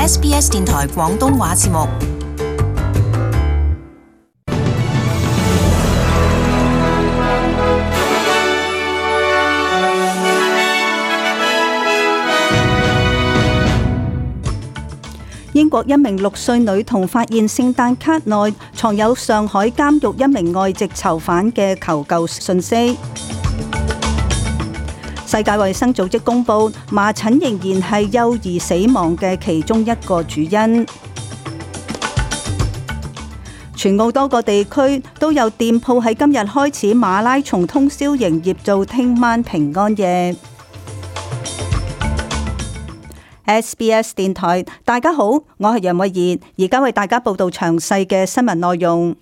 SBS 電台廣東話節目。英國一名6歲女童發現聖誕卡內藏有上海監獄一名外籍囚犯嘅求救信息。世界衛生組織公布，麻疹仍然係幼兒死亡嘅其中一個主因。全澳多個地區都有店鋪喺今日開始馬拉松通宵營業到聽晚平安夜。SBS 電台，大家好，我係楊慧儀，而家為大家報道詳細嘅新聞內容。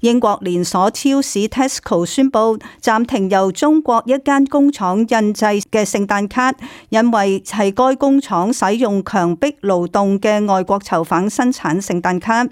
英國連鎖超市 Tesco 宣布暫停由中國一間工廠印製嘅聖誕卡，因為係該工廠使用強迫勞動嘅外國囚犯生產聖誕卡。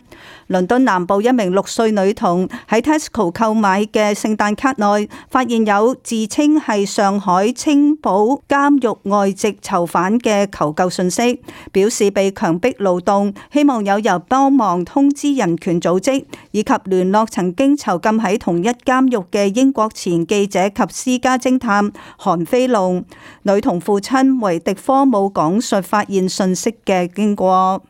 倫敦南部一名6歲女童喺 Tesco 購買嘅聖誕卡內發現有自稱係上海青浦監獄外籍囚犯嘅求救信息，表示被強迫勞動，希望有人幫忙通知人權組織以及聯絡曾經囚禁喺同一監獄嘅英國前記者及私家偵探韓飛龍。女童父親維迪科姆講述發現信息嘅經過。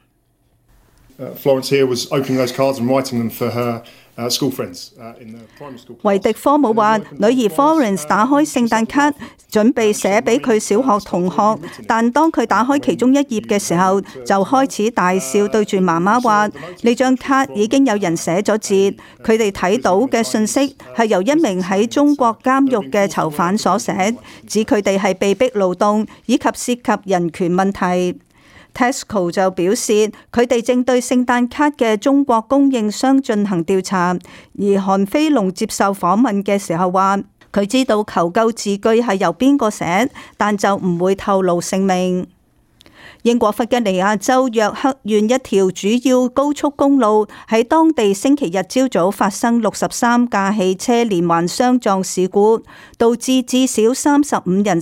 Florence here was opening those cards and writing them for her school friends in the primary school. 維迪科姆話：女兒 Florence 打開聖誕卡，準備寫俾佢小學同學，但當佢打開其中一頁嘅時候，就開始大笑，對住媽媽話：呢張卡已經有人寫咗字。佢哋睇到嘅信息係由一名喺中國監獄嘅囚犯所寫，指佢哋係被逼勞動以及涉及人權問題。Tesco 就表示，佢哋正對聖誕卡嘅中國供應商進行調查。而韓飛龍接受訪問嘅時候話，佢知道求救字句係由邊個寫，但就唔會透露姓名。英國弗吉尼亞州約克縣一條主要高速公路喺當地星期日朝早發生63架汽車連環相撞事故，導致至少35人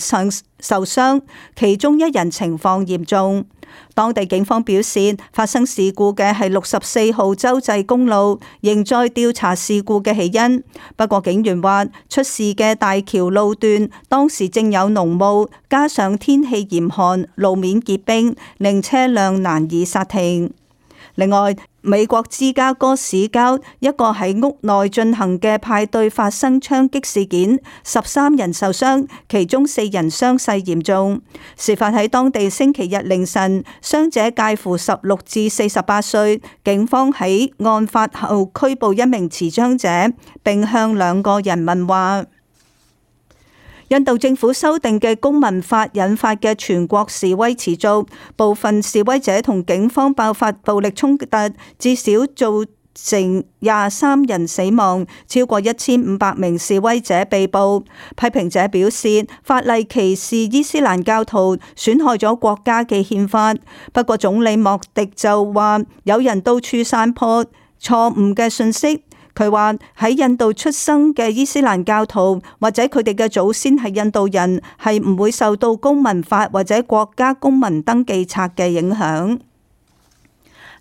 受傷，其中1人情況嚴重。當地警方表示，發生事故嘅係64號州際公路，仍在調查事故嘅起因。不過警員話，出事嘅大橋路段當時正有濃霧，加上天氣嚴寒，路面結冰，令車輛難以剎停。另外，美國芝加哥市郊一個喺屋內進行嘅派對發生槍擊事件，13人受傷，其中4人傷勢嚴重。事發喺當地星期日凌晨，傷者介乎16至48歲。警方喺案發後拘捕一名持槍者，並向2個人問話。印度政府修訂嘅公民法引發嘅全國示威持續，部分示威者同警方爆發暴力衝突，至少造成23人死亡，超過1500名示威者被捕。批評者表示，法例歧視伊斯蘭教徒，損害咗國家嘅憲法。不過總理莫迪就話，有人到處散播錯誤嘅信息。佢話喺印度出生嘅伊斯蘭教徒或者佢哋嘅祖先係印度人，係唔會受到公民法或者國家公民登記冊嘅影響。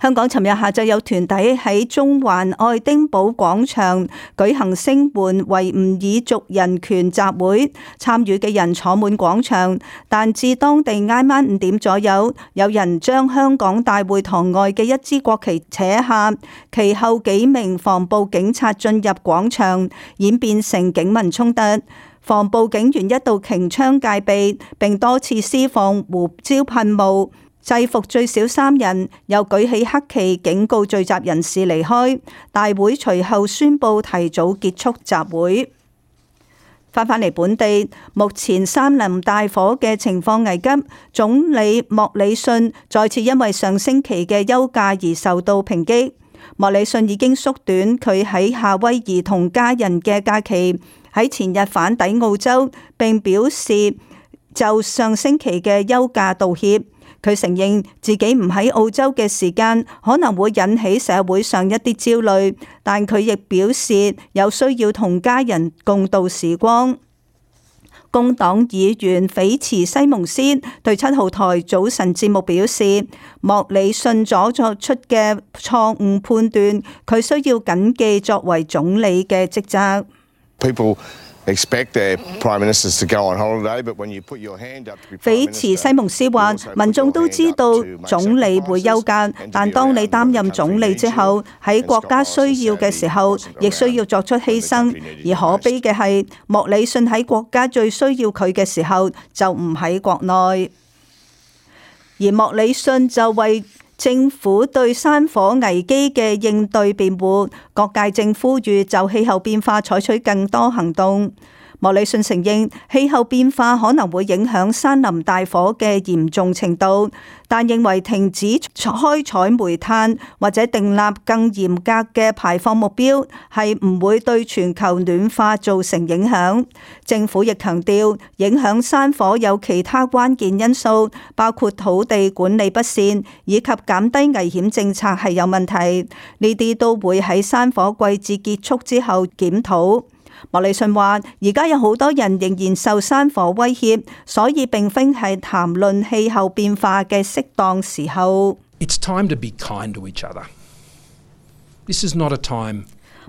香港尋日下晝有團體喺中環愛丁堡廣場舉行聲援維吾爾族人權集會，參與嘅人坐滿廣場，但至當地挨晚5點左右，有人將香港大會堂外嘅一支國旗扯下，其後幾名防暴警察進入廣場，演變成警民衝突。防暴警員一度擎槍戒備，並多次施放胡椒噴霧，制服最少3人，又舉起黑旗警告聚集人士離開。大會隨後宣布提早結束集會。翻返嚟本地，目前山林大火嘅情況危急，總理莫里遜再次因為上星期嘅休假而受到抨擊。莫里遜已經縮短佢喺夏威夷同家人嘅假期，喺前日返抵澳洲，並表示就上星期嘅休假道歉。佢承認自己唔喺澳洲嘅時間可能會引起社會上一啲焦慮，但佢亦表示有需要同家人共度時光。工黨議員斐茨西蒙斯對7號台早晨節目表示，莫里遜所作出嘅錯誤判斷，佢需要謹記作為總理嘅職責。斐茨西蒙斯話：民眾都知道總理會休假，但當你擔任總理之後，喺國家需要嘅時候，亦需要作出犧牲。而可悲嘅係，莫里遜喺國家最需要佢嘅時候，就唔喺國內，而莫里遜就為政府對山火危機嘅應對辯護，各界正呼籲就氣候變化採取更多行動。莫里遜承認氣候變化可能會影響山林大火嘅嚴重程度，但認為停止開採煤炭或者訂立更嚴格嘅排放目標係唔會對全球暖化造成影響。政府亦強調，影響山火有其他關鍵因素，包括土地管理不善以及減低危險政策係有問題，呢啲都會喺山火季節結束之後檢討。莫里遜話：而家有好多人仍然受山火威脅，所以並非係談論氣候變化嘅適當時候。It's time to be kind to each other. This is not a time.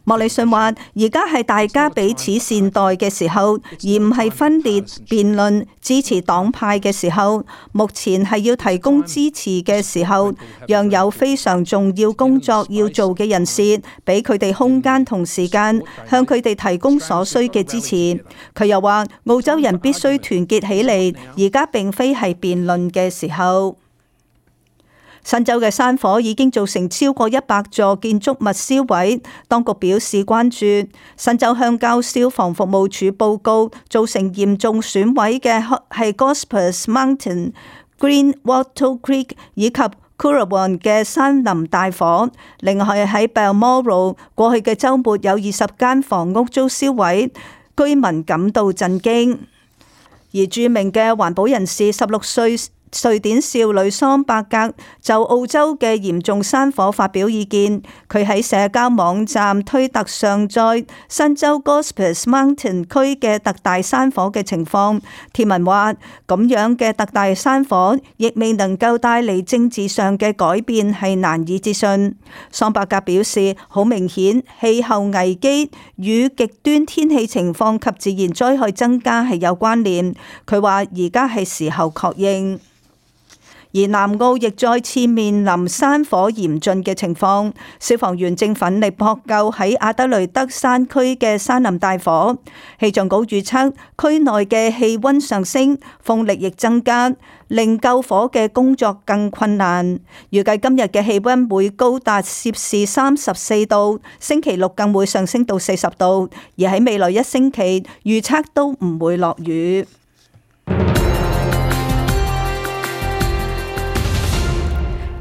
莫里遜話：而家係大家彼此善待嘅時候，而唔係分裂、辯論、支持黨派嘅時候。目前係要提供支持嘅時候，讓有非常重要工作要做嘅人士，俾佢哋空間同時間，向佢哋提供所需嘅支持。佢又話：澳洲人必須團結起嚟，而家並非係辯論嘅時候。新州嘅山火已經造成超過100座建築物燒毀，當局表示關注。新州鄉郊消防服務處報告，造成嚴重損毀嘅係 Gospers Mountain、Green Wattle Creek 以及 Currawong 嘅山林大火。另外喺 Balmoral 過去嘅週末有20間房屋遭燒毀，居民感到震驚。而著名嘅環保人士16歲瑞典少女桑伯格就澳洲嘅嚴重山火發表意見，佢喺社交網站推特上載新州 Gospers Mountain 區嘅特大山火嘅情況。貼文話：咁樣嘅特大山火亦未能夠帶嚟政治上嘅改變，係難以置信。桑伯格表示，好明顯氣候危機與極端天氣情況及自然災害增加係有關聯。佢話而家係時候確認。而南澳亦再次面臨山火嚴峻嘅情況，消防員正奮力撲救喺阿德雷德山區嘅山林大火。氣象局預測區內嘅氣溫上升，風力亦增加，令救火嘅工作更困難。預計今日嘅氣溫會高達攝氏34度，星期六更會上升到40度，而喺未來1星期預測都唔會落雨。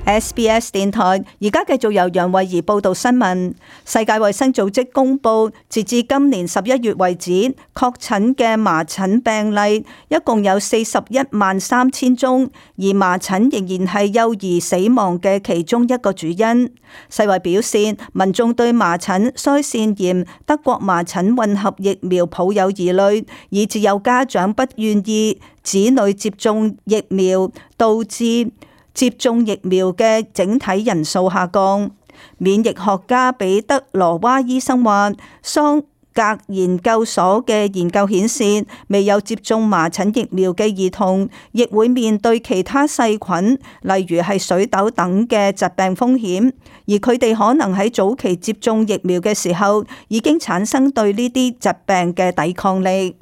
SBS 電台而家繼續由楊慧儀報道新聞。世界衛生組織公佈，截至今年11月為止，確診嘅麻疹病例一共有413000宗，而麻疹仍然係幼兒死亡嘅其中一個主因。世衛表示，民眾對麻疹、腮腺炎、德國麻疹混合疫苗抱有疑慮，以致有家長不願意子女接種疫苗，導致接種疫苗嘅整體人數下降。免疫學家彼得羅娃醫生話，桑格研究所嘅研究顯示，未有接種麻疹疫苗嘅兒童，亦會面對其他細菌，例如係水痘等嘅疾病風險，而佢哋可能喺早期接種疫苗嘅時候，已經產生對呢啲疾病嘅抵抗力。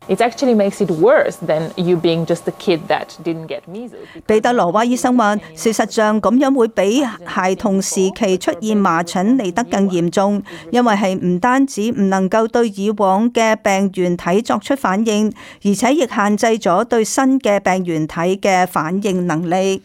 It actually makes it worse than you being just a kid that didn't get measles. 彼得羅娃醫生話，事實上咁樣會比孩童時期出現麻疹嚟得更嚴重，因為係唔單止唔能夠對以往嘅病原體作出反應，而且亦限制咗對新嘅病原體嘅反應能力。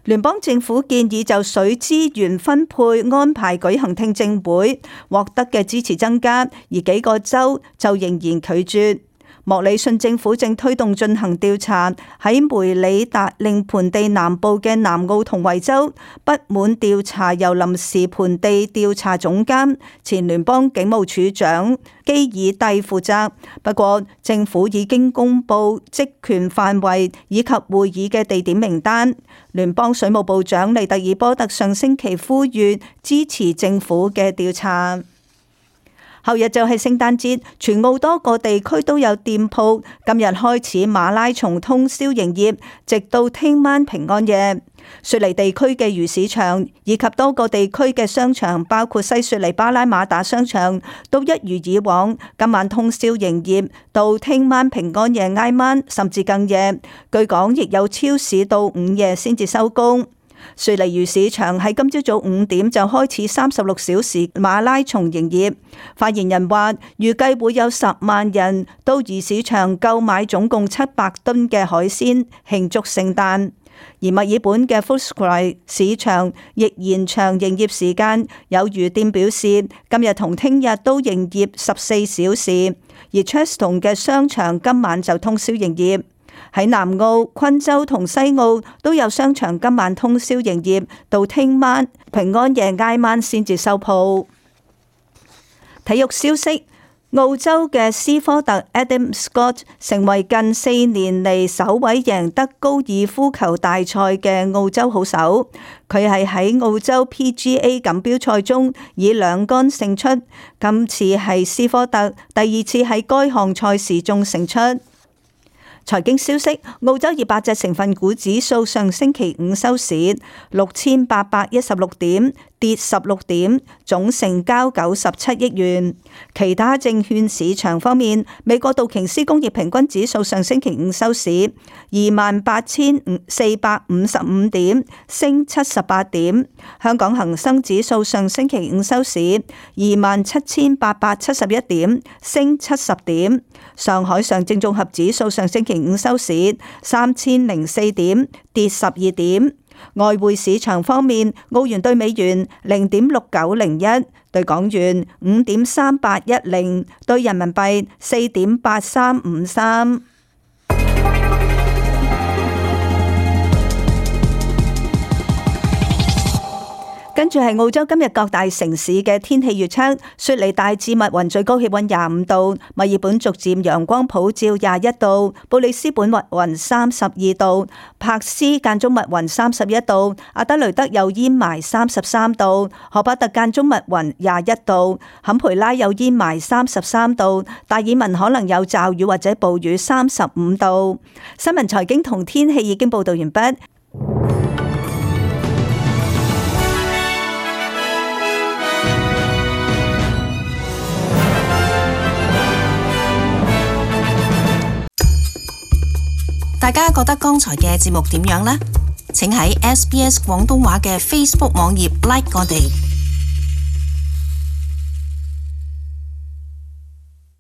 聯邦政府建議就水資源分配安排舉行聽證會，獲得嘅支持增加，而幾個州就仍然拒絕。莫里遜政府正推動進行調查，喺梅里達令盆地南部嘅南奧同維州不滿調查由臨時盆地調查總監前聯邦警務處長基爾蒂負責。不過政府已經公布職權範圍以及會議嘅地點名單。聯邦水務部長利特爾波特上星期呼籲支持政府嘅調查。後日就係聖誕節，全澳多個地區都有店鋪今日開始馬拉松通宵營業，直到聽晚平安夜。雪梨地區嘅魚市場以及多個地區嘅商場，包括西雪梨巴拉馬達商場，都一如以往今晚通宵營業，到聽晚平安夜挨晚甚至更夜。據講，亦有超市到午夜先至收工。雪梨魚市場喺今朝早5點就開始36小時馬拉松營業。發言人話，預計會有10萬人到魚市場購買總共700噸嘅海鮮慶祝聖誕。而墨爾本嘅 Footscray 市場亦延長營業時間，有魚店表示今日同聽日都營業14小時。而 Cheston 嘅商場今晚就通宵營業。喺南澳、昆州同西澳都有商場今晚通宵營業，到聽晚平安夜挨晚先至收鋪。體育消息，澳洲嘅斯科特 Adam Scott 成為近4年嚟首位贏得高爾夫球大賽嘅澳洲好手。佢係喺澳洲 PGA 錦標賽中以2桿勝出，今次係斯科特第2次喺該項賽事中勝出。財經消息，澳洲200隻成分股指數上星期五收市6816點，跌16點，總成交97億元。其他證券市場方面，美國道瓊斯工業平均指數上星期五收市28455點，升78點。香港恒生指數上星期五收市27871點，升70點。上海上證綜合指數上星期五收市3004點，跌12點。外匯市場方面，澳元對美元0.6901，對港元5.3810，對人民幣4.8353。跟住係澳洲今日各大城市嘅天氣預測：雪梨大致密雲，最高氣溫25度；墨爾本逐漸陽光普照21度；布里斯本密雲32度；柏斯間中密雲31度；阿德雷德有煙霾33度；荷巴特間中密雲21度；坎培拉有煙霾33度；達爾文可能有驟雨或者暴雨35度。新聞財經同天氣已經報道完畢。大家覺得剛才嘅節目點樣呢？請喺SBS 廣東話嘅 Facebook 網頁 like 我哋。